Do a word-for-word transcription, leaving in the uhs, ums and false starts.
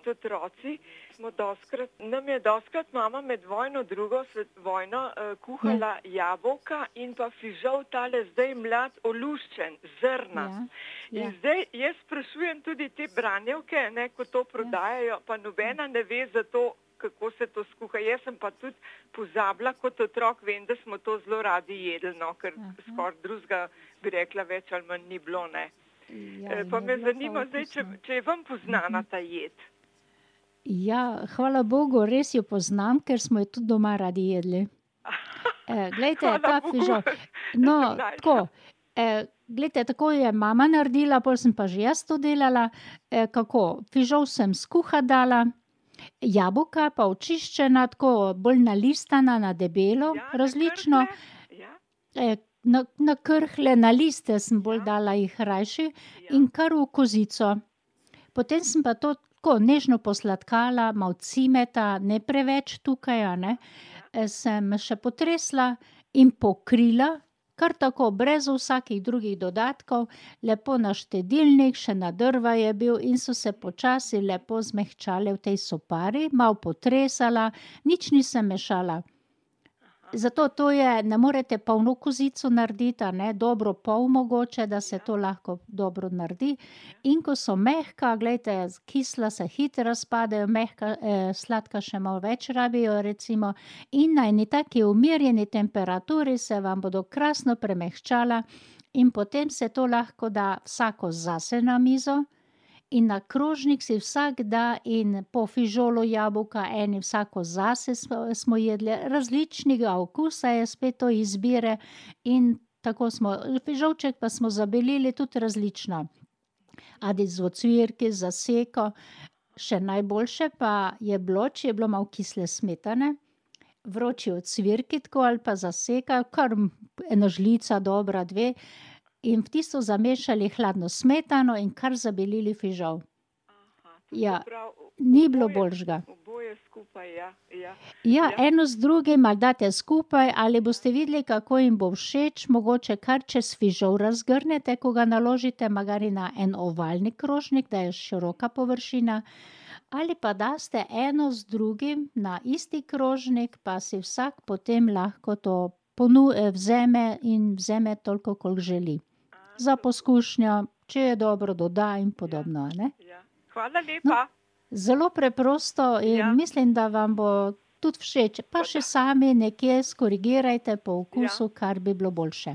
kot otroci, smo doskrat, nam je doskrat mama med vojno, drugo vojno, uh, kuhala ja. jabolka in pa fižol tale zdaj mlad oluščen, zrna. Ja. Ja. In zdaj jaz sprašujem tudi te branjevke, ne, ko to prodajajo, pa nobena ne ve za to, kako se to skuha. Jaz sem pa tudi pozabila kot otrok, vem, da smo to zelo radi jedli, no, ker skoraj drugega bi rekla več ali manj ni bilo, ne. Ja, e, pa me zanima zdaj, če, če je vam poznana ta jed. Ja, hvala Bogu, res jo poznam, ker smo jo tudi doma radi jedli. E, glejte, ta fižol. No, tako, e, glejte, tako je mama naredila, pol sem pa že jaz to delala. E, kako, fižol sem skuhat dala, jabolka pa očiščena, tako bolj nalistana, na debelo, Ja, na različno. krhlje? Ja. E, na, na krhlje, na liste sem bolj Ja. dala jih rajši Ja. in kar v kozico. Potem sem pa to tako nežno posladkala, malo cimeta, ne preveč tukaj, a ne. E, sem še potresla in pokrila, kar tako, brez vsakih drugih dodatkov, lepo na štedilnik, še na drva je bil in so se počasi lepo zmehčale v tej sopari, malo potresala, nič nisem mešala. Zato to je, ne morete polno kozico narediti, a ne, dobro pol mogoče, da se to lahko dobro naredi. In ko so mehka, glejte, kisla se hitro razpadejo, mehka, eh, sladka še malo več rabijo recimo, in na eni taki umirjeni temperaturi se vam bodo krasno premehčala in potem se to lahko da vsako zase na mizo in na krožnik si vsak da in po fižolu jabolka, eni vsako zase smo, smo jedli, različnega okusa je spet to izbire in tako smo, fižolček pa smo zabelili tudi različno. Ali z ocvirki, z zaseko, še najboljše pa je bilo, če je bilo malo kisle smetane, vroči ocvirki tako ali pa zaseka, kar ena žlica dobra, dve, in v tisto zamešali hladno smetano in kar zabelili fižol. Aha, Ja, se pravi, ni bilo oboje- boljšega. Oboje skupaj, ja, ja. Ja, Ja. eno z drugim ali date skupaj, ali boste videli, kako jim bo všeč, mogoče kar čez fižol razgrnete, ko ga naložite, magari na en ovalni krožnik, da je široka površina, ali pa daste eno z drugim na isti krožnik, pa si vsak potem lahko to ponu- eh, vzame in vzame toliko, koliko želi. Za poskušnjo, če je dobro, doda in podobno, a ne. Ja. Hvala lepa. Zelo preprosto in Ja. mislim, da vam bo tudi všeč. Pa še sami nekje skorigirajte po okusu, kar bi bilo boljše.